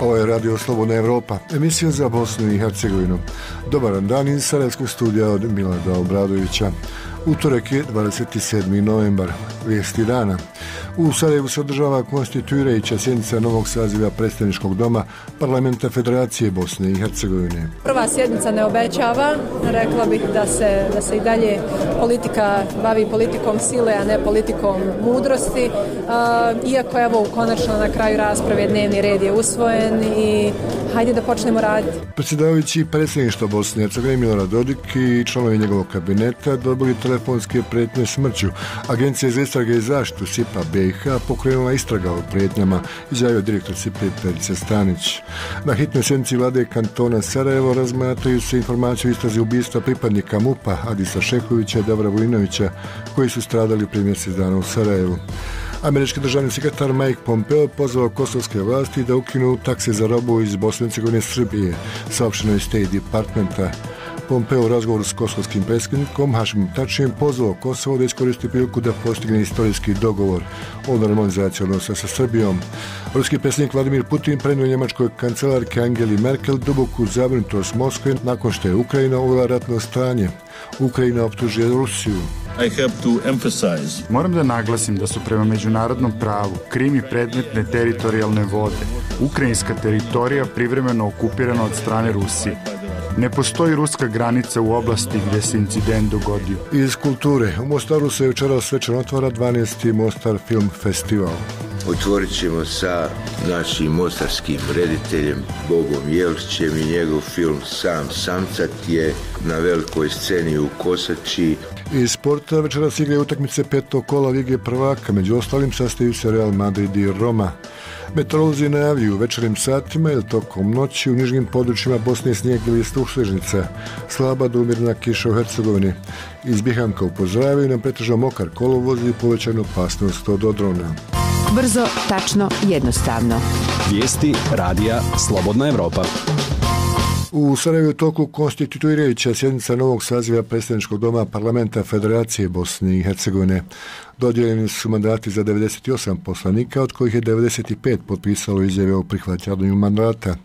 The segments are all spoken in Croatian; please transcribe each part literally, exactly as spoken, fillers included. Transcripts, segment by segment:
Ovo je Radio Slobodna Evropa, emisija za Bosnu i Hercegovinu. Dobar dan iz Sarajevskog studija od Milada Obradovića. Utorek je dvadeset sedmi novembar, vijesti dana. U Sarajevu se održava konstituirajuća sjednica novog saziva predstavničkog doma Parlamenta Federacije Bosne i Hercegovine. Prva sjednica ne obećava, rekla bih da se, da se i dalje politika bavi politikom sile, a ne politikom mudrosti. Uh, iako evo konačno na kraju rasprave dnevni red je usvojen i hajde da počnemo raditi. Predsjedavajući predsjedništva Bosne i Hercegovine Milorad Dodik i članovi njegovog kabineta dobili telefonske prijetnje smrću. Agencija za istrage i zaštitu S I P A B i H pokrenula istraga o prijetnjama, izjavio direktor S I P A Perica Stanić. Na hitnoj sjednici vlade kantona Sarajevo razmatraju se informacije o istrazi ubistva pripadnika MUP-a Adisa Šehovića i Davora Vujinovića, koji su stradali prije mjesec dana u Sarajevu. Američki državni sekretar Mike Pompeo pozvao kosovske vlasti da ukinu takse za robu iz Bosne i Hercegovine Srbije, saopšteno je State Departmenta. Pompeo u razgovoru s kosovskim predsjednikom Hašimom Tačijem pozvao Kosovo da iskoristi priliku da postigne istorijski dogovor o normalizaciji odnosa sa Srbijom. Ruski predsjednik Vladimir Putin prenio njemačkoj kancelarki Angeli Merkel duboku zabrinutost Moskve nakon što je Ukrajina uvela ratno stanje. Ukrajina optužuje Rusiju. I have to emphasize. Moram da naglasim da su prema međunarodnom pravu Krim i predmetne teritorijalne vode, ukrajinska teritorija privremeno okupirana od strane Rusije. Ne postoji ruska granica u oblasti gdje se incident dogodio. Iz kulture. U Mostaru se večeras svečano otvara dvanaesti Mostar Film Festival. Otvorit ćemo sa našim mostarskim rediteljem Bogom Jelićem i njegov film Sam samcat je na velikoj sceni u Kosači. Iz sporta večeras igraju utakmice petog kola Lige prvaka, među ostalim sastaju se Real Madrid i Roma. Meteorolozi najavljuju u večernjim satima ili tokom noći u nižim područjima Bosne snijeg ili sušležnica, slaba do umjerena kiša u Hercegovini. Iz Bihanka upozoravaju nam pretežno mokar kolovoz i povećanu opasnost od odrona. Brzo, tačno, jednostavno. Vijesti radija Slobodna Evropa. U Sarajevu je toku konstituirajuća sjednica novog saziva predstavničkog doma Parlamenta Federacije Bosne i Hercegovine. Dodijeljeni su mandati za devedeset osam poslanika, od kojih je devedeset pet potpisalo izjave o prihvaćanju mandata.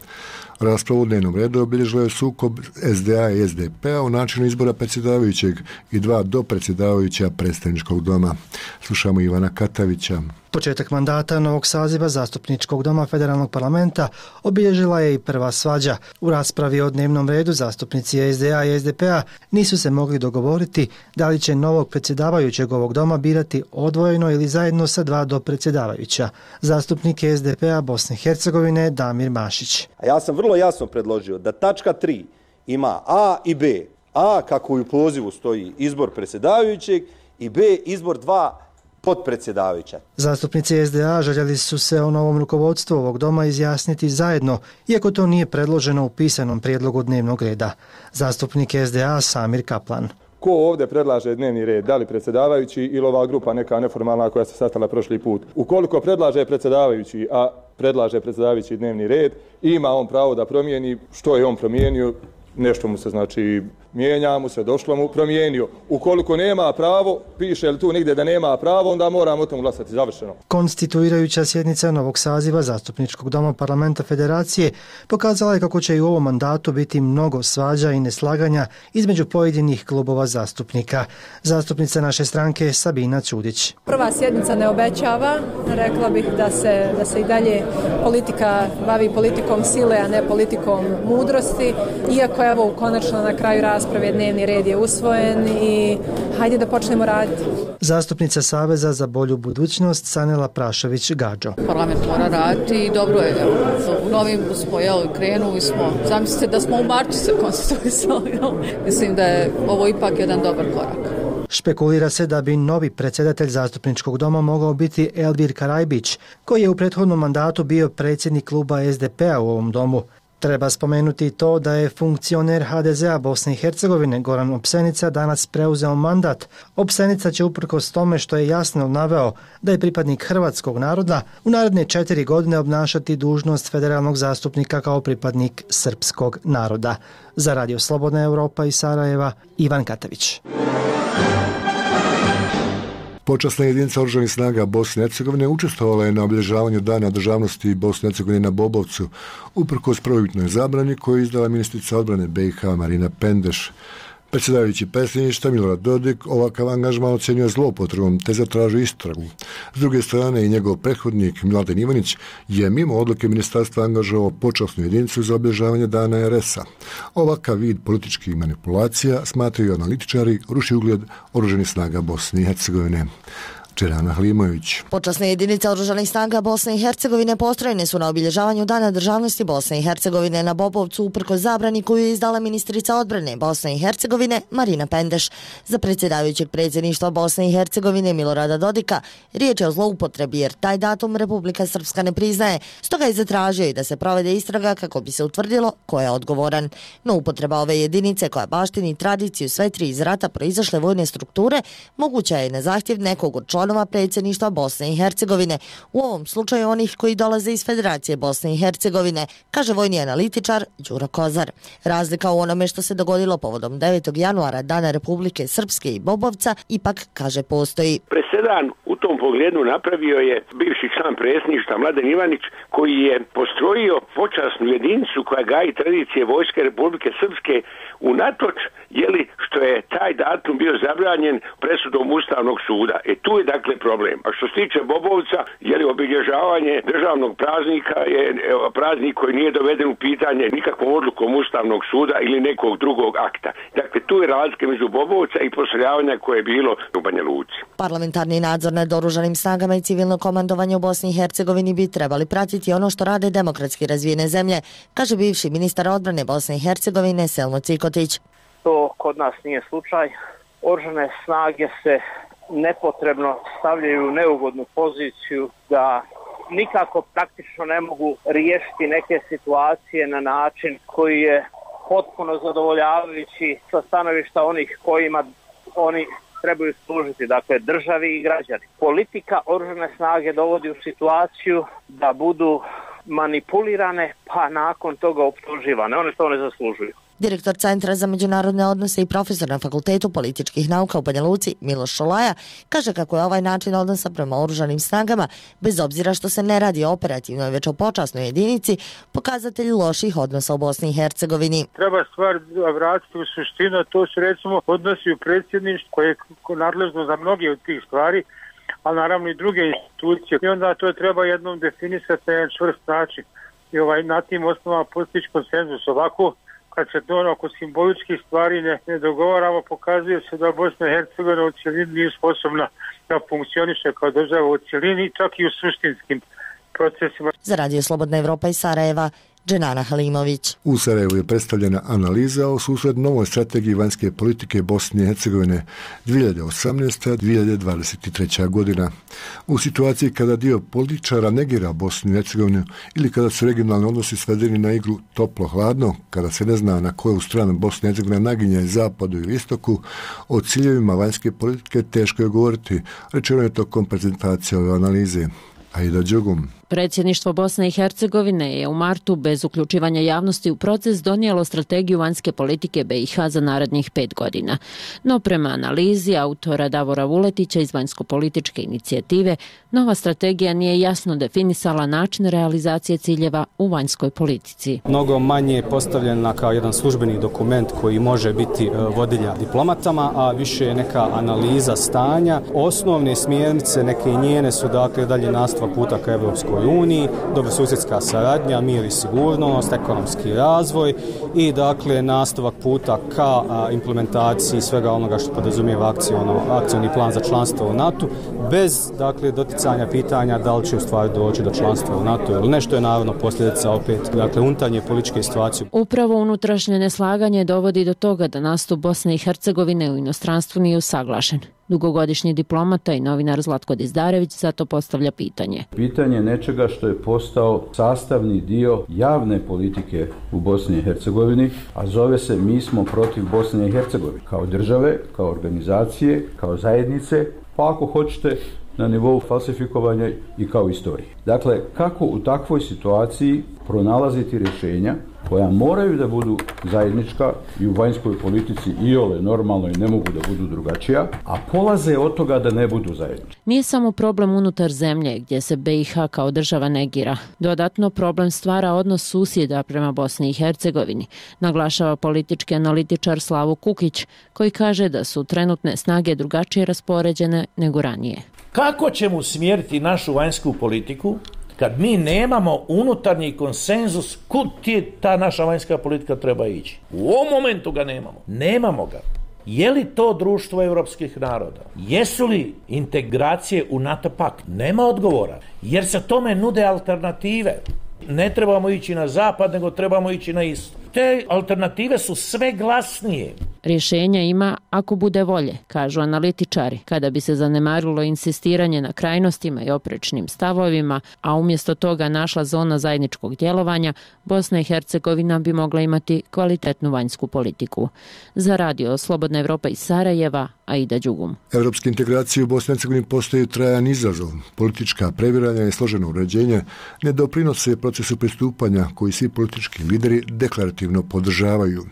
Raspravu u dnevnom redu obilježilo je sukob S D A i S D P-a u načinu izbora predsjedavajućeg i dva dopredsjedavajuća predstavničkog doma. Slušamo Ivana Katavića. Početak mandata novog saziva zastupničkog doma federalnog parlamenta obilježila je i prva svađa. U raspravi o dnevnom redu zastupnici S D A i S D P-a nisu se mogli dogovoriti da li će novog predsjedavajućeg ovog doma birati odvojeno ili zajedno sa dva dopredsjedavajuća. Zastupnik S D P-a Bosne i Hercegovine Damir Mašić. A ja sam vrlo jasno predložio da tačka tri ima A i B. A, kako u pozivu stoji, izbor predsjedavajućeg i B, izbor dva potpredsjedavajuća. Zastupnici S D A željeli su se o novom rukovodstvu ovog doma izjasniti zajedno, iako to nije predloženo u pisanom prijedlogu dnevnog reda. Zastupnik S D A Samir Kaplan. Ko ovdje predlaže dnevni red, da li predsjedavajući ili ova grupa neka neformalna koja se sastala prošli put? Ukoliko predlaže predsjedavajući, a predlaže predsjedavajući dnevni red, ima on pravo da promijeni. Što je on promijenio? Nešto mu se znači mijenja mu se, došlo mu, promijenio. Ukoliko nema pravo, piše li tu nigdje da nema pravo, onda moramo o tom glasati. Završeno. Konstituirajuća sjednica novog saziva zastupničkog doma Parlamenta Federacije pokazala je kako će i u ovom mandatu biti mnogo svađa i neslaganja između pojedinih klubova zastupnika. Zastupnica naše stranke Sabina Ćudić. Prva sjednica ne obećava, rekla bih da se, da se i dalje politika bavi politikom sile, a ne politikom mudrosti, iako evo konačno na kraju rasprave dnevni red je usvojen i hajde da počnemo raditi. Zastupnica Saveza za bolju budućnost Sanela Prašović-Gađo. Parlament mora raditi i dobro je. U novim smo jel, krenuli smo. Zamislite da smo u martu se konstituisali. Mislim da je ovo ipak jedan dobar korak. Špekulira se da bi novi predsjedatelj zastupničkog doma mogao biti Elvir Karajbić, koji je u prethodnom mandatu bio predsjednik kluba S D P-a u ovom domu. Treba spomenuti to da je funkcioner H D Z-a Bosne i Hercegovine Goran Opsenica danas preuzeo mandat. Opsenica će uprkos tome što je jasno naveo da je pripadnik hrvatskog naroda u naredne četiri godine obnašati dužnost federalnog zastupnika kao pripadnik srpskog naroda. Za Radio Slobodna Evropa iz Sarajeva, Ivan Katavić. Počasna jedinica oružanih snaga Bosne i Hercegovine učestvovala je na obilježavanju Dana državnosti Bosne i Hercegovine na Bobovcu, uprkos prvobitnoj zabrani koju je izdala ministrica odbrane B i H Marina Pendeš. Predsjedavajući predsjedništva Milorad Dodik ovakav angažman ocjenjuje zloupotrebom te zatražuje istragu. S druge strane i njegov prethodnik Mladen Ivanić je mimo odluke ministarstva angažovao počasnu jedinicu za obilježavanje Dana er es a. Ovakav vid političkih manipulacija, smatraju analitičari, ruši ugled oružanih snaga Bosne i Hercegovine. Dženana Halimović. Počasne jedinice oružanih snaga Bosne i Hercegovine postrojene su na obilježavanju Dana državnosti Bosne i Hercegovine na Bobovcu uprkos zabrani koju je izdala ministrica odbrane Bosne i Hercegovine Marina Pendeš. Za predsjedavajućeg predsjedništva Bosne i Hercegovine Milorada Dodika riječ je o zloupotrebi jer taj datum Republika Srpska ne priznaje, stoga je zatražio i da se provede istraga kako bi se utvrdilo ko je odgovoran. No upotreba ove jedinice koja baštini tradiciju sve tri iz rata proizašle vojne strukture moguća je na zahtjev nekog od članova predsjedništva Bosne i Hercegovine, u ovom slučaju onih koji dolaze iz Federacije Bosne i Hercegovine, kaže vojni analitičar Đuro Kozar. Razlika u onome što se dogodilo povodom devetog januara Dana Republike Srpske i Bobovca ipak, kaže, postoji. Presedan u tom pogledu napravio je bivši član predsjedništva Mladen Ivanić, koji je postrojio počasnu jedinicu koja gaji tradicije Vojske Republike Srpske unatoč jeli što je taj datum bio zabranjen presudom Ustavnog suda. E tu je dakle problem. A što se tiče Bobovca, jeli obilježavanje državnog praznika je praznik koji nije doveden u pitanje nikakvom odlukom Ustavnog suda ili nekog drugog akta. Dakle, tu je razlika među Bobovca i postrojavanja koje je bilo u Banja Luci. Parlamentarni nadzor nad oružanim snagama i civilno komandovanje u Bosni i Hercegovini bi trebali pratiti ono što rade demokratski razvijene zemlje, kaže bivši ministar odbrane Bosne i Hercegovine Selmo Cikotić. To kod nas nije slučaj. Oružane snage se nepotrebno stavljaju u neugodnu poziciju da nikako praktično ne mogu riješiti neke situacije na način koji je potpuno zadovoljavajući sa stanovišta onih kojima oni trebaju služiti, dakle državi i građani. Politika oružane snage dovodi u situaciju da budu manipulirane pa nakon toga optuživane. One to ne zaslužuju. Direktor Centra za međunarodne odnose i profesor na Fakultetu političkih nauka u Banja Luci Miloš Šolaja kaže kako je ovaj način odnosa prema oružanim snagama, bez obzira što se ne radi o operativnoj već o počasnoj jedinici, pokazatelj loših odnosa u Bosni i Hercegovini. Treba stvar vratiti u suštinu, to su recimo odnosi u predsjedništvu koje je nadležno za mnoge od tih stvari, ali naravno i druge institucije. I onda to treba jednom definisati na jedan čvrst način i ovaj, na tim osnovama postići konsenzus. Ovako, kad se to oko simboličkih stvari ne, ne dogovaramo, pokazuje se da Bosna i Hercegovina u cjelini nije sposobna da funkcioniše kao država u cjelini, čak i u suštinskim procesima. Za Radio Slobodna Evropa iz Sarajeva, Dženana Halimović. U Sarajevu je predstavljena analiza o susret novoj strategiji vanjske politike Bosne i Hercegovine dvije hiljade osamnaesta do dvije hiljade dvadeset treća godina. U situaciji kada dio političara negira Bosnu i Hercegovinu ili kada su regionalni odnosi svedeni na igru toplo-hladno, kada se ne zna na koju stranu Bosna i Hercegovina naginje zapadu ili istoku, o ciljevima vanjske politike teško je govoriti, rečeno je tokom prezentacije ove analize. Aida Đogum. Predsjedništvo Bosne i Hercegovine je u martu bez uključivanja javnosti u proces donijelo strategiju vanjske politike B i H za narednih pet godina. No prema analizi autora Davora Vuletića iz vanjsko-političke inicijative, nova strategija nije jasno definisala način realizacije ciljeva u vanjskoj politici. Mnogo manje je postavljena kao jedan službeni dokument koji može biti vodilja diplomatama, a više je neka analiza stanja. Osnovne smjernice, neke njene su dakle dalje nastavak puta ka Evropskoj uniji, dobrosusjedska saradnja, mir i sigurnost, ekonomski razvoj i dakle nastavak puta ka a, implementaciji svega onoga što podrazumijeva akciono, akcioni plan za članstvo u NATO, bez dakle doticanja pitanja da li će u stvari doći do članstva u NATO ili nešto je naravno posljedica opet dakle unutarnje političke situacije. Upravo unutrašnje neslaganje dovodi do toga da nastup Bosne i Hercegovine u inostranstvu nije usaglašen. Dugogodišnji diplomata i novinar Zlatko Dizdarević zato postavlja pitanje. Pitanje nečega što je postao sastavni dio javne politike u Bosni i Hercegovini, a zove se Mi smo protiv Bosne i Hercegovine. Kao države, kao organizacije, kao zajednice, pa ako hoćete na nivou falsifikovanja i kao istorije. Dakle, kako u takvoj situaciji pronalaziti rješenja koja moraju da budu zajednička i u vanjskoj politici iole normalno i ne mogu da budu drugačija, a polaze od toga da ne budu zajednički. Nije samo problem unutar zemlje gdje se B i H kao država negira. Dodatno problem stvara odnos susjeda prema Bosni i Hercegovini, naglašava politički analitičar Slavo Kukić, koji kaže da su trenutne snage drugačije raspoređene nego ranije. Kako ćemo usmjeriti našu vanjsku politiku kad mi nemamo unutarnji konsenzus kud ti ta naša vanjska politika treba ići? U ovom momentu ga nemamo. Nemamo ga. Je li to društvo europskih naroda? Jesu li integracije u NATO pakt? Nema odgovora. Jer se tome nude alternative. Ne trebamo ići na zapad, nego trebamo ići na istok. Te alternative su sve glasnije. Rješenja ima ako bude volje, kažu analitičari. Kada bi se zanemarilo insistiranje na krajnostima i oprečnim stavovima, a umjesto toga našla zona zajedničkog djelovanja, Bosna i Hercegovina bi mogla imati kvalitetnu vanjsku politiku. Za radio Slobodna Evropa iz Sarajeva, Aida Đugum. Evropske integracije u Bosni i Hercegovini postaju trajan izazov. Politička previranja i složeno uređenje ne doprinose procesu pristupanja koji svi politički lideri deklarativno podržavaju.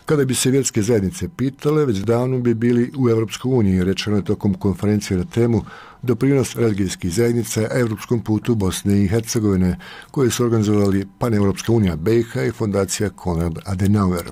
Kada bi se vjerske zajednice pitale, već davno bi bili u Evropskoj uniji, rečeno je tokom konferencije na temu doprinos religijskih zajednica evropskom putu Bosne i Hercegovine, koje su organizovali Paneuropska unija B i H i fondacija Konrad Adenauer.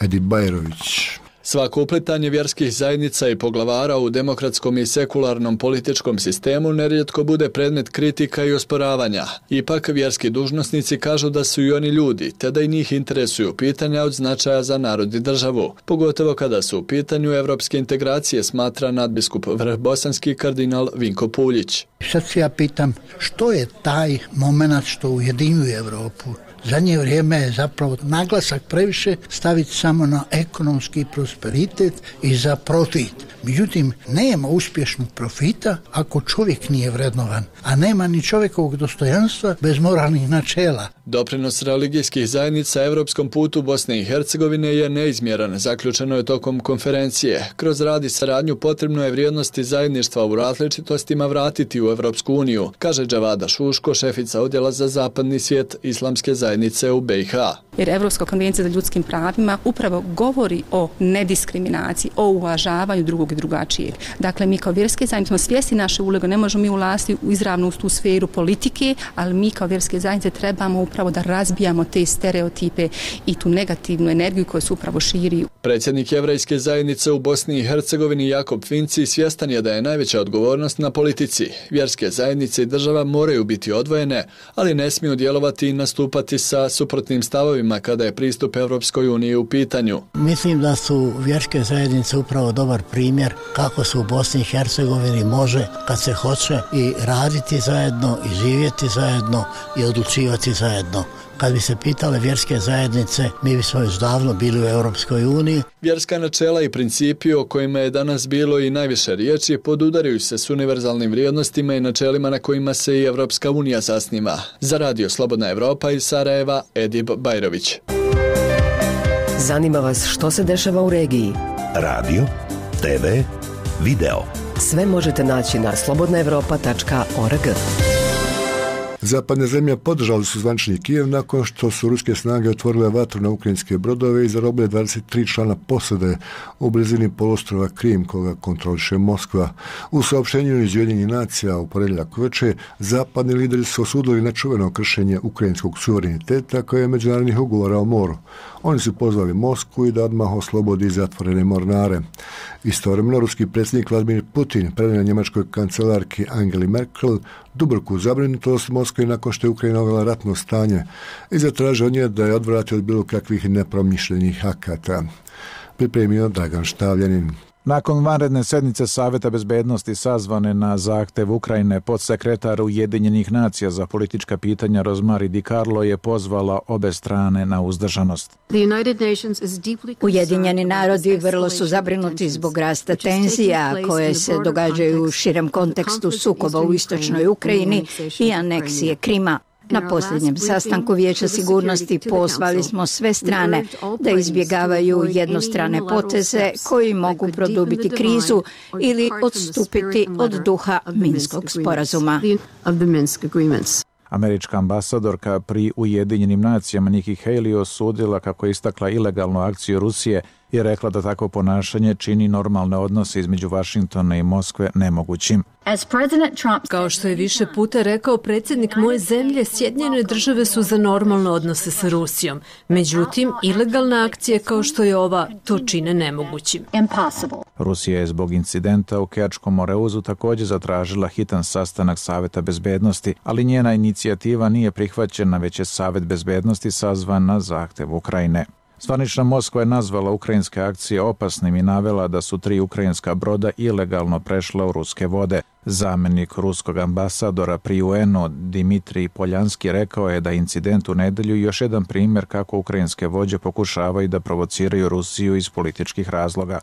Edi Bajrović. Svako uplitanje vjerskih zajednica i poglavara u demokratskom i sekularnom političkom sistemu nerijetko bude predmet kritika i osporavanja. Ipak vjerski dužnosnici kažu da su i oni ljudi, te da i njih interesuju pitanja od značaja za narod i državu. Pogotovo kada su u pitanju evropske integracije, smatra nadbiskup vrhbosanski kardinal Vinko Puljić. Sad se ja pitam što je taj moment što ujedinjuje Evropu. Zadnje vrijeme je zapravo naglasak previše staviti samo na ekonomski prosperitet i za profit. Međutim, nema uspješnog profita ako čovjek nije vrednovan, a nema ni čovjekovog dostojanstva bez moralnih načela. Doprinos religijskih zajednica evropskom putu Bosne i Hercegovine je neizmjeran, zaključeno je tokom konferencije. Kroz rad i saradnju potrebno je vrijednosti zajedništva u različitostima vratiti u Evropsku uniju, kaže Džavada Šuško, šefica odjela za zapadni svijet islamske zajednice u B i H. Jer Evropska konvencija za ljudskim pravima upravo govori o nediskriminaciji, o uvažavanju drugog i drugačijeg. Dakle, mi kao vjerske zajednice smo svjesni naše uloge, ne možemo mi ulaziti izravno u tu sferu politike, ali mi kao vjerske zajednice trebamo upravo da razbijamo te stereotipe i tu negativnu energiju koja se upravo širi. Predsjednik jevrejske zajednice u Bosni i Hercegovini Jakob Finci svjestan je da je najveća odgovornost na politici. Vjerske zajednice i država moraju biti odvojene, ali ne smiju djelovati i nastupati sa suprotnim stavovima kada je pristup Evropskoj uniji u pitanju. Mislim da su vjerske zajednice upravo dobar primjer kako se u Bosni i Hercegovini može, kad se hoće, i raditi zajedno, i živjeti zajedno, i odlučivati zajedno. Kad bi se pitale vjerske zajednice, mi bismo još davno bili u Europskoj uniji. Vjerska načela i principi o kojima je danas bilo i najviše riječi podudaraju se s univerzalnim vrijednostima i načelima na kojima se i Evropska unija zasniva. Za radio Slobodna Evropa iz Sarajeva, Edib Bajrović. Zanima vas što se dešava u regiji? Radio, te ve, video. Sve možete naći na slobodna evropa tačka org. Zapadne zemlje podržali su zvanični Kijev nakon što su ruske snage otvorile vatru na ukrajinske brodove i zarobile dvadeset tri člana posade u blizini poluostrva Krim koga kontroliše Moskva. U saopštenju iz Ujedinjenih nacija u ponedjeljak uveče zapadni lideri su osudili nečuveno kršenje ukrajinskog suvereniteta kao je međunarodnih ugovora o moru. Oni su pozvali Moskvu i da odmah oslobodi zatvorene mornare. Istovremeno ruski predsjednik Vladimir Putin predao njemačkoj kancelarki Angeli Merkel duboku zabrinutost Moskve nakon što je Ukrajina uvela ratno stanje i zatražio od nje da je odvrati od bilo kakvih nepromišljenih akata. Pripremio Dragan Štavljanin. Nakon vanredne sednice Saveta bezbednosti sazvane na zahtev Ukrajine, podsekretar Ujedinjenih nacija za politička pitanja Rozmari Di Carlo je pozvala obe strane na uzdržanost. Ujedinjeni narodi vrlo su zabrinuti zbog rasta tenzija koje se događaju u širem kontekstu sukoba u istočnoj Ukrajini i aneksije Krima. Na posljednjem sastanku Vijeća sigurnosti pozvali smo sve strane da izbjegavaju jednostrane poteze koji mogu produbiti krizu ili odstupiti od duha Minskog sporazuma. Američka ambasadorka pri Ujedinjenim nacijama Nikki Haley osudila kako je istakla ilegalnu akciju Rusije i rekla da takvo ponašanje čini normalne odnose između Vašingtona i Moskve nemogućim. Kao što je više puta rekao predsjednik moje zemlje, Sjedinjene države su za normalne odnose sa Rusijom. Međutim, ilegalna akcija kao što je ova to čine nemogućim. Rusija je zbog incidenta u Kerčkom Moreuzu također zatražila hitan sastanak Saveta bezbednosti, ali njena inicijativa nije prihvaćena, već je Savet bezbednosti sazvan na zahtev Ukrajine. Zvanična Moskva je nazvala ukrajinske akcije opasnim i navela da su tri ukrajinska broda ilegalno prešla u ruske vode. Zamenik ruskog ambasadora pri U N-u Dimitrij Poljanski rekao je da incident u nedelju još jedan primjer kako ukrajinske vođe pokušavaju da provociraju Rusiju iz političkih razloga.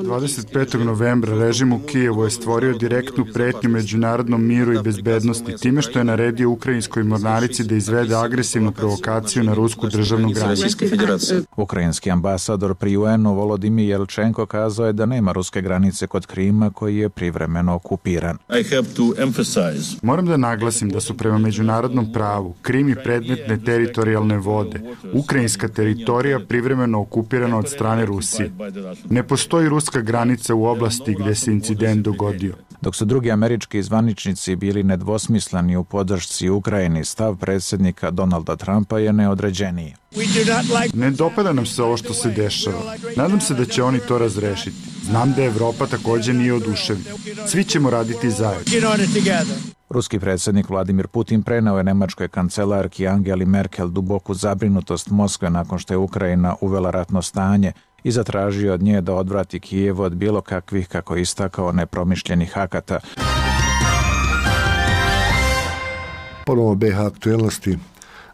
dvadeset petog novembra režim u Kijevu je stvorio direktnu pretnju međunarodnom miru i bezbednosti time što je naredio ukrajinskoj mornarici da izvede agresivnu provokaciju na rusku državnu granicu. Ukrajinski ambasador pri U N-u Volodimir Jelčenko kazao je da nema ruske granice kod Krima koji je privremeno okupiran. Moram da naglasim da su prema međunarodnom pravu Krim i predmetne teritorijalne vode, ukrajinska teritorija privremeno okupirana od strane Rusije. Ne postoji ruska granica u oblasti gdje se incident dogodio. Dok su drugi američki zvaničnici bili nedvosmisleni u podršci Ukrajini, stav predsjednika Donalda Trumpa je neodređeniji. Ne dopada nam se ovo što se dešava. Nadam se da će oni to razrešiti. Znam da Evropa također nije oduševljena. Svi ćemo raditi zajedno. Ruski predsjednik Vladimir Putin preneo je nemačkoj kancelarki Angeli Merkel duboku zabrinutost Moskve nakon što je Ukrajina uvela ratno stanje i zatražio od nje da odvrati Kijev od bilo kakvih, kako je istakao, nepromišljenih akata. Ponovo B iH aktuelnosti.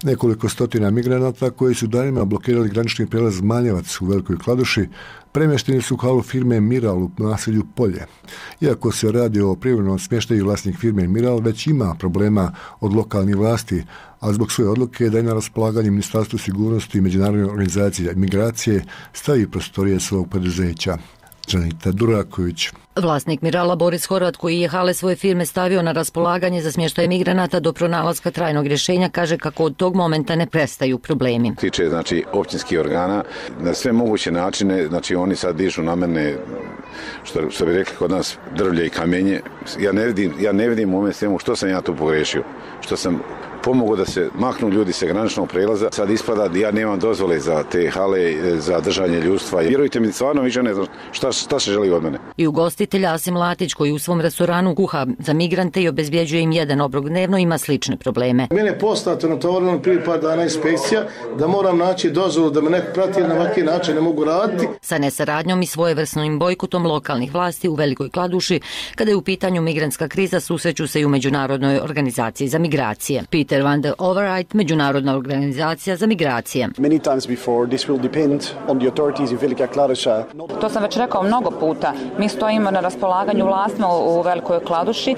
Nekoliko stotina migranata koji su danima blokirali granični prijelaz Manjevac u Velikoj Kladuši premješteni su u halu firme Miral u naselju Polje. Iako se radi o privremenom smještaju, vlasnik firme Miral već ima problema od lokalnih vlasti, a zbog svoje odluke da je na raspolaganje Ministarstvu sigurnosti i Međunarodne organizacije migracije stavi prostorije svog poduzeća. Džanita Duraković. Vlasnik Mirala Boris Horvat, koji je hale svoje firme stavio na raspolaganje za smještaj migranata do pronalaska trajnog rješenja, kaže kako od tog momenta ne prestaju problemi. Tiče znači općinskih organa na sve moguće načine, znači oni sad dižu na mene, što, što bi rekli kod nas, drvlje i kamenje. Ja ne vidim, ja ne vidim u ovom svemu što sam ja tu pogrešio, što sam pomogao da se maknu ljudi sa graničnog prelaza. Sad ispada da ja nemam dozvole za te hale, za držanje ljudstva. Vjerujte mi, stvarno više ne znam šta, šta se želi od mene. I ugostitelj Asim Latić, koji u svom restoranu kuha za migrante i obezbjeđuje im jedan obrok dnevno, ima slične probleme. Mene je poznato na tovarnom prije par dana inspekcija da moram naći dozvolu da me neko prati, jer na ovakvi način ne mogu raditi. Sa nesaradnjom i svojevrsnim bojkotom lokalnih vlasti u Velikoj Kladuši, kada je u pitanju migrantska kriza, susreću se i u Međunarodnoj organizaciji za migracije. Peter van der Overijt, Međunarodna organizacija za migracije. To sam već rekao mnogo puta. Mi stojimo na raspolaganju vlastima u Velikoj Kladuši,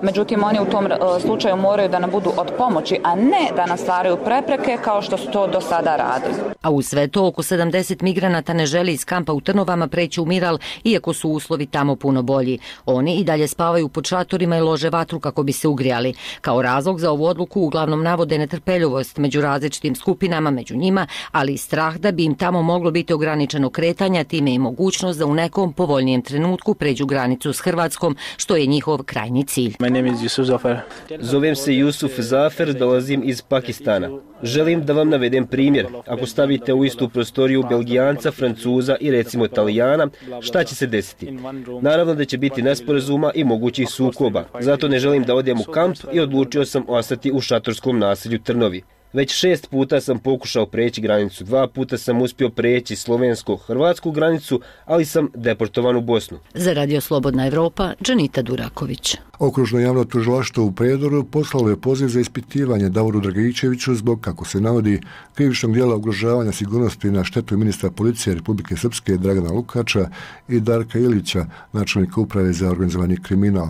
međutim oni u tom slučaju moraju da nam budu od pomoći, a ne da nam stvaraju prepreke kao što su to do sada radili. A u sve to oko sedamdeset migranata ne želi iz kampa u Trnovama preći u Miral, iako su uslovi tamo puno bolji. Oni i dalje spavaju pod šatorima i lože vatru kako bi se ugrijali. Kao razlog za ovu odluku uglavnom navode netrpeljivost među različitim skupinama, među njima, ali i strah da bi im tamo moglo biti ograničeno kretanje, time i mogućnost da u nekom povoljnijem trenutku pređu granicu s Hrvatskom, što je njihov krajnji cilj. My name is Yusuf Zafer. Zovem se Yusuf Zafer, dolazim iz Pakistana. Želim da vam navedem primjer. Ako stavite u istu prostoriju Belgijanca, Francuza i recimo Italijana, šta će se desiti? Naravno da će biti nesporazuma i mogućih sukoba. Zato ne želim da odem u kamp i odlučio sam ostati u šatorskom naselju Trnovi. Već šest puta sam pokušao preći granicu, dva puta sam uspio preći slovensko-hrvatsku granicu, ali sam deportovan u Bosnu. Za Radio Slobodna Evropa, Džanita Duraković. Okružno javno tužilaštvo u Prijedoru poslalo je poziv za ispitivanje Davoru Dragičeviću zbog, kako se navodi, krivičnog djela ugrožavanja sigurnosti na štetu ministra policije Republike Srpske Dragana Lukača i Darka Ilića, načelnika uprave za organizovani kriminal.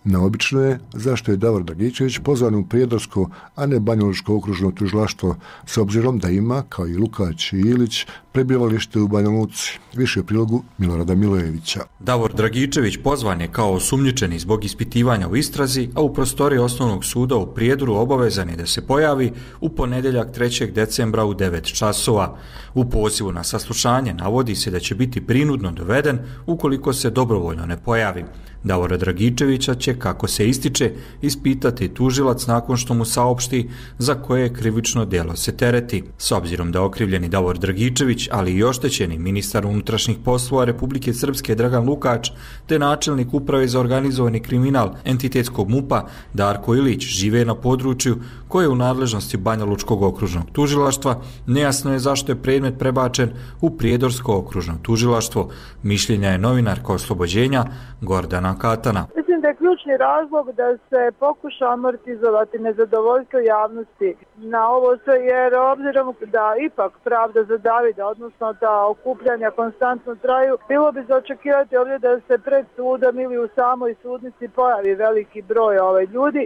Neobično je zašto je Davor Dragičević pozvan u Prijedorsko, a ne Banjalučko okružno tužilaštvo, s obzirom da ima, kao i Lukač i Ilić, prebivalište u Banja Luci. Više u prilogu Milorada Milojevića. Davor Dragičević pozvan je kao osumnjičeni zbog ispitivanja u istrazi, a u prostoriji Osnovnog suda u Prijedoru obavezan je da se pojavi u ponedjeljak trećeg decembra u devet časova. U pozivu na saslušanje navodi se da će biti prinudno doveden ukoliko se dobrovoljno ne pojavi. Davora Dragičevića će, kako se ističe, ispitati tužilac nakon što mu saopšti za koje krivično djelo se tereti. S obzirom da okrivljeni Davor Dragičević, ali i oštećeni ministar unutrašnjih poslova Republike Srpske Dragan Lukač, te načelnik uprave za organizovani kriminal entitetskog MUP-a Darko Ilić žive na području koje je u nadležnosti Banjalučkog okružnog tužilaštva, nejasno je zašto je predmet prebačen u Prijedorsko okružno tužilaštvo. Mišljenja je novinarka Oslobođenja Gordana Katana. Mislim da je ključni razlog da se pokuša amortizovati nezadovoljstvo javnosti na ovo sve, jer obzirom da ipak pravda za Davida, odnosno da okupljanja konstantno traju, bilo bi za očekivati ovdje da se pred sudom ili u samoj sudnici pojavi veliki broj ovaj ljudi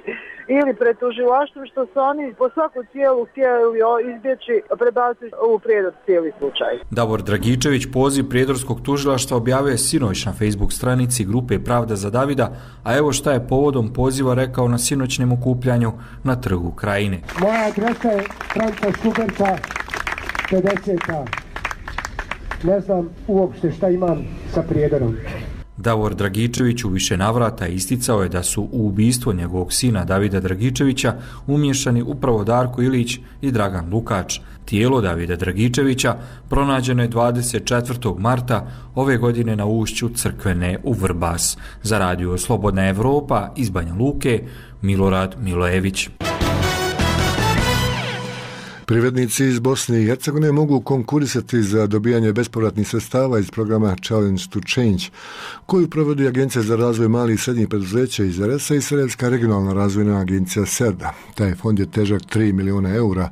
ili pred tužilaštvom, što su oni po svaku cijelu htjeli izbjeći prebaciti u Prijedor cijeli slučaj. Davor Dragičević poziv Prijedorskog tužilaštva objavio je sinoć na Facebook stranici grupe Pravda za Davida, a evo šta je povodom poziva rekao na sinoćnem okupljanju na Trgu Krajine. Moja adresa je Franka Šuberca pedeset. Ne znam uopšte šta imam sa Prijedorom. Davor Dragičević u više navrata isticao je da su u ubistvo njegovog sina Davida Dragičevića umiješani upravo Darko Ilić i Dragan Lukač. Tijelo Davida Dragičevića pronađeno je dvadeset četvrtog marta ove godine na ušću Crkvene u Vrbas. Za radio Slobodna Evropa iz Banja Luke, Milorad Milojević. Privrednici iz Bosne i Hercegovine mogu konkurisati za dobijanje bespovratnih sredstava iz programa Challenge to Change, koju provodi Agencija za razvoj malih i srednjih preduzeća iz er es a i Sarajevska regionalna razvojna agencija SERDA. Taj fond je težak tri miliona eura,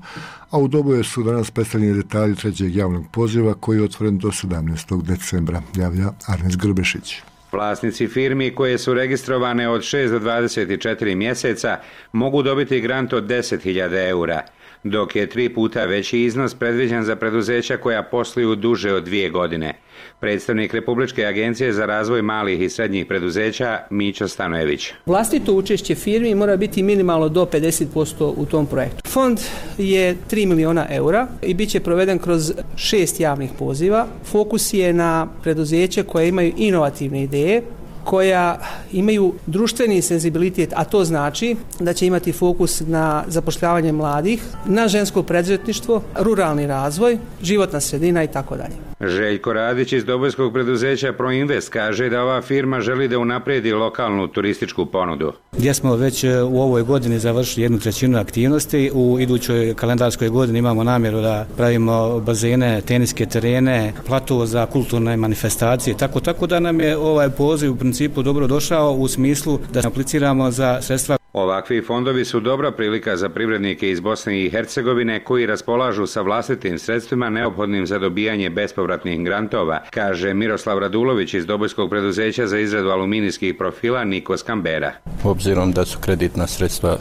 a u Doboju su danas predstavljeni detalji trećeg javnog poziva koji je otvoren do sedamnaestog decembra, javlja Arnes Grbešić. Vlasnici firmi koje su registrovane od šest do dvadeset četiri mjeseca mogu dobiti grant od deset hiljada eura, dok je tri puta veći iznos predviđen za preduzeća koja posluju duže od dvije godine. Predstavnik Republičke agencije za razvoj malih i srednjih preduzeća Mićo Stanojević. Vlastito učešće firmi mora biti minimalno do pedeset posto u tom projektu. Fond je tri miliona eura i bit će proveden kroz šest javnih poziva. Fokus je na preduzeće koje imaju inovativne ideje, koja imaju društveni senzibilitet, a to znači da će imati fokus na zapošljavanje mladih, na žensko preduzetništvo, ruralni razvoj, životna sredina i tako dalje. Željko Radić iz dobojskog preduzeća Proinvest kaže da ova firma želi da unaprijedi lokalnu turističku ponudu. Gdje smo već u ovoj godini završili jednu trećinu aktivnosti, u idućoj kalendarskoj godini imamo namjeru da pravimo bazene, teniske terene, plato za kulturne manifestacije, tako tako da nam je ovaj poziv u principu dobro došao u smislu da apliciramo za sredstva. Ovakvi fondovi su dobra prilika za privrednike iz Bosne i Hercegovine koji raspolažu sa vlastitim sredstvima neophodnim za dobijanje bespovratnih grantova, kaže Miroslav Radulović iz dobojskog preduzeća za izradu aluminijskih profila Nikos Kambera. Obzirom da su kreditna sredstva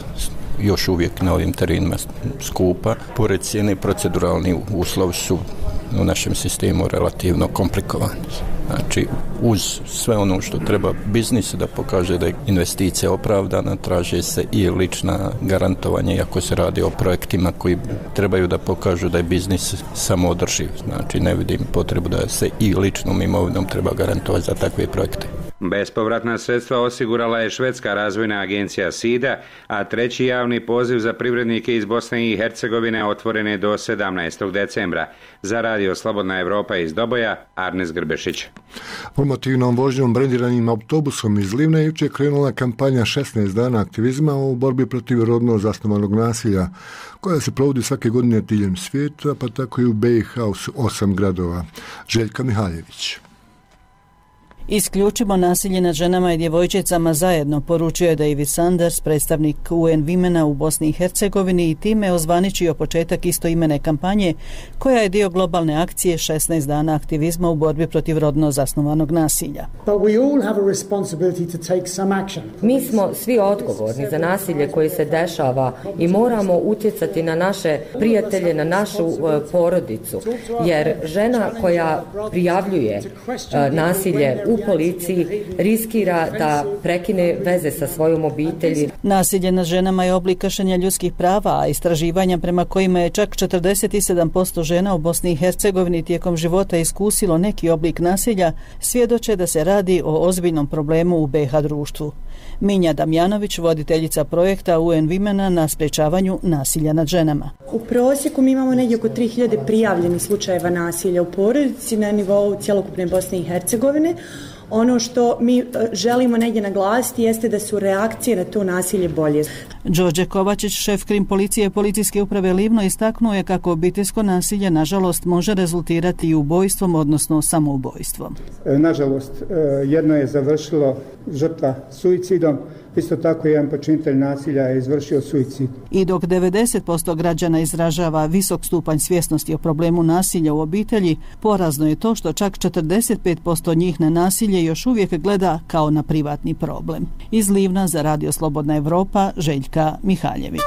još uvijek na ovim terenima skupa, pored cijene proceduralni uslovi su u našem sistemu relativno komplikovani. Znači, uz sve ono što treba biznis da pokaže da je investicija opravdana, traže se i lična garantovanja, iako se radi o projektima koji trebaju da pokažu da je biznis samoodrživ. Znači, ne vidim potrebu da se i ličnom imovinom treba garantovati za takve projekte. Bespovratna sredstva osigurala je švedska razvojna agencija SIDA, a treći javni poziv za privrednike iz Bosne i Hercegovine otvoren je do sedamnaestog decembra. Za radio Slobodna Evropa iz Doboja, Arnes Grbešić. Promotivnom vožnjom brendiranim autobusom iz Livna jučer krenula kampanja šesnaest dana aktivizma u borbi protiv rodno zasnovanog nasilja, koja se provodi svake godine diljem svijeta, pa tako i u be i ha u osam gradova. Željka Mihaljević. Isključimo nasilje nad ženama i djevojčicama zajedno, poručio je David Sanders, predstavnik U N Womena u Bosni i Hercegovini, i time ozvaničio početak istoimene kampanje koja je dio globalne akcije šesnaest dana aktivizma u borbi protiv rodno zasnovanog nasilja. Mi smo svi odgovorni za nasilje koje se dešava i moramo utjecati na naše prijatelje, na našu porodicu, jer žena koja prijavljuje nasilje u policiji riskira da prekine veze sa svojom obitelji. Nasilje nad ženama je oblik kršenja ljudskih prava, a istraživanja prema kojima je čak četrdeset sedam posto žena u Bosni i Hercegovini tijekom života iskusilo neki oblik nasilja svjedoče da se radi o ozbiljnom problemu u B H društvu. Minja Damjanović, voditeljica projekta U N Womena na sprječavanju nasilja nad ženama. U prosjeku mi imamo negdje oko tri hiljade prijavljenih slučajeva nasilja u porodici na nivou cjelokupne Bosne i Hercegovine. Ono što mi želimo negdje naglasiti jeste da su reakcije na to nasilje bolje. Đorđe Kovačić, šef krim policije policijske uprave Livno, istaknuo je kako obiteljsko nasilje nažalost može rezultirati i ubojstvom, odnosno samoubojstvom. Nažalost, jedno je završilo žrtva suicidom, isto tako jedan počinitelj nasilja je izvršio suicid. I dok devedeset posto građana izražava visok stupanj svjesnosti o problemu nasilja u obitelji, porazno je to što čak četrdeset pet posto njih na nasilje još uvijek gleda kao na privatni problem. Iz Livna za Radio Slobodna Evropa, Željka Mihaljević.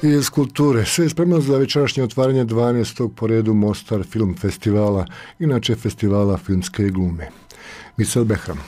I iz kulture. Sve je spremno za večerašnje otvaranje dvanaestog po redu Mostar Film Festivala, inače festivala filmske glume. Misel Behram.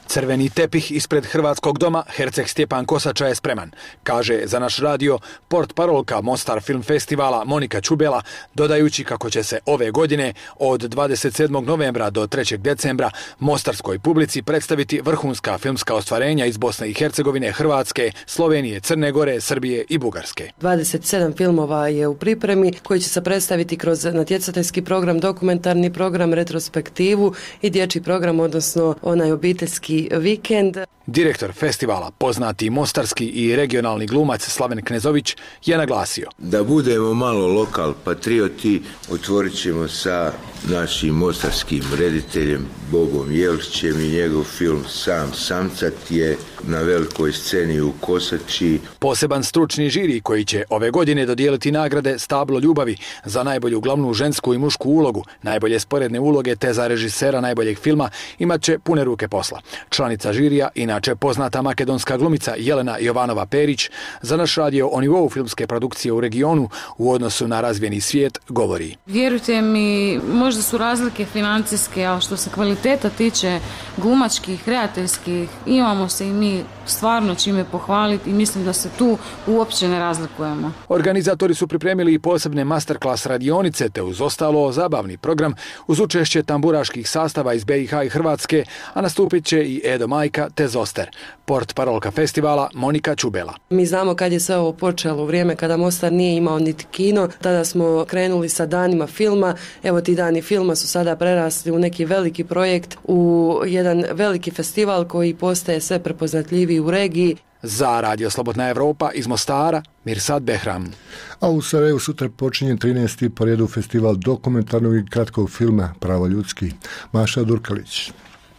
Crveni tepih ispred Hrvatskog doma Herceg Stjepan Kosača je spreman, kaže za naš radio portparolka Mostar Film Festivala Monika Čubela, dodajući kako će se ove godine od dvadeset sedmog novembra do trećeg decembra mostarskoj publici predstaviti vrhunska filmska ostvarenja iz Bosne i Hercegovine, Hrvatske, Slovenije, Crne Gore, Srbije i Bugarske. dvadeset sedam filmova je u pripremi koji će se predstaviti kroz natjecateljski program, dokumentarni program, retrospektivu i dječji program, odnosno onaj obiteljski vikend. Direktor festivala, poznati mostarski i regionalni glumac Slaven Knezović, je naglasio: da budemo malo lokal patrioti, otvorit ćemo sa našim mostarskim rediteljem Bogom Jelićem i njegov film Sam samcat je na velikoj sceni u Kosači. Poseban stručni žiri koji će ove godine dodijeliti nagrade Stablo ljubavi za najbolju glavnu žensku i mušku ulogu, najbolje sporedne uloge te za režisera najboljeg filma imat će pune ruke posla. Članica žirija, inače poznata makedonska glumica Jelena Jovanova Perić, za naš radio o nivou filmske produkcije u regionu u odnosu na razvijeni svijet govori: vjerujte mi, možda su razlike financijske, ali što se kvaliteta tiče glumačkih, kreativskih, imamo se i mi stvarno čime pohvaliti i mislim da se tu uopće ne razlikujemo. Organizatori su pripremili i posebne masterclass radionice te uz ostalo zabavni program uz učešće tamburaških sastava iz B i H i Hrvatske, a nastupit će i Edo Majka te Zoster. Portparolka festivala Monika Čubela. Mi znamo kad je sve ovo počelo, u vrijeme kada Mostar nije imao niti kino, tada smo krenuli sa danima filma. Evo ti dani filma su sada prerasli u neki veliki projekt, u jedan veliki festival koji postaje sve prepoznatljiviji u regiji. Za Radio Slobodna Evropa iz Mostara, Mirsad Behram. A u Sarajevu sutra počinje trinaesti po redu festival dokumentarnog i kratkog filma Pravo ljudski. Maša Durkalić.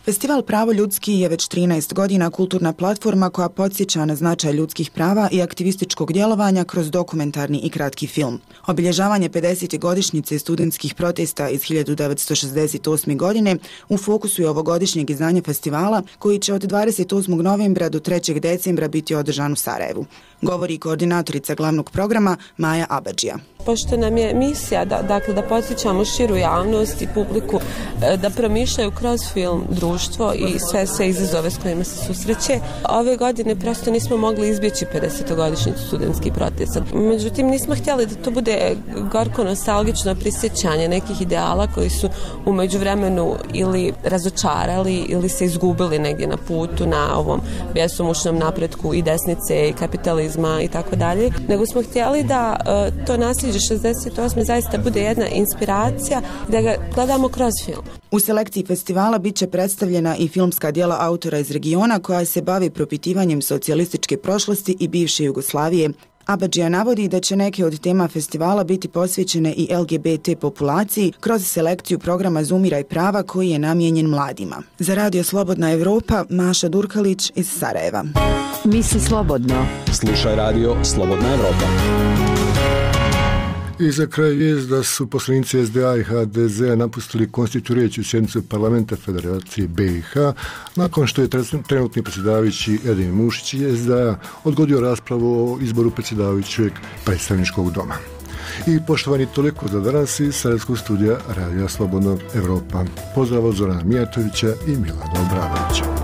Festival Pravo ljudski je već trinaest godina kulturna platforma koja podsjeća na značaj ljudskih prava i aktivističkog djelovanja kroz dokumentarni i kratki film. Obilježavanje pedesete godišnjice studentskih protesta iz hiljadu devetsto šezdeset osme. godine u fokusu je ovogodišnjeg izdanja festivala koji će od dvadeset osmog novembra do trećeg decembra biti održan u Sarajevu. Govori koordinatorica glavnog programa Maja Abadžija. Pošto nam je misija da, dakle, da podsjećamo širu javnost i publiku da promišljaju kroz film društvo i sve sve izazove s kojima se susreće, ove godine prosto nismo mogli izbjeći pedesetogodišnjicu studentskih protesta. Međutim, nismo htjeli da to bude gorko nostalgično prisjećanje nekih ideala koji su u međuvremenu ili razočarali ili se izgubili negdje na putu na ovom bjesomučnom napretku i desnice i kapitalizma i tako dalje, nego smo htjeli da uh, to nasljeđe šezdeset osme zaista bude jedna inspiracija da ga gledamo kroz film. U selekciji festivala bit će predstavljena i filmska djela autora iz regiona koja se bavi propitivanjem socijalističke prošlosti i bivše Jugoslavije, Abadžija navodi da će neke od tema festivala biti posvećene i L G B T populaciji kroz selekciju programa Zumiraj prava koji je namijenjen mladima. Za Radio Slobodna Evropa, Maša Durkalić iz Sarajeva. Misli slobodno. Slušaj Radio Slobodna Evropa. I za kraj vijest da su poslanici S D A i H D Z napustili konstituirajuću sjednicu parlamenta Federacije B i H nakon što je trenutni predsjedavajući Edin Mušić iz S D A odgodio raspravu o izboru predsjedavajućeg predstavničkog doma. I poštovani, toliko za danas iz Sarajevskog studija Radija Slobodna Evropa. Pozdrav od Zorana Mijatovića i Milana Obradovića.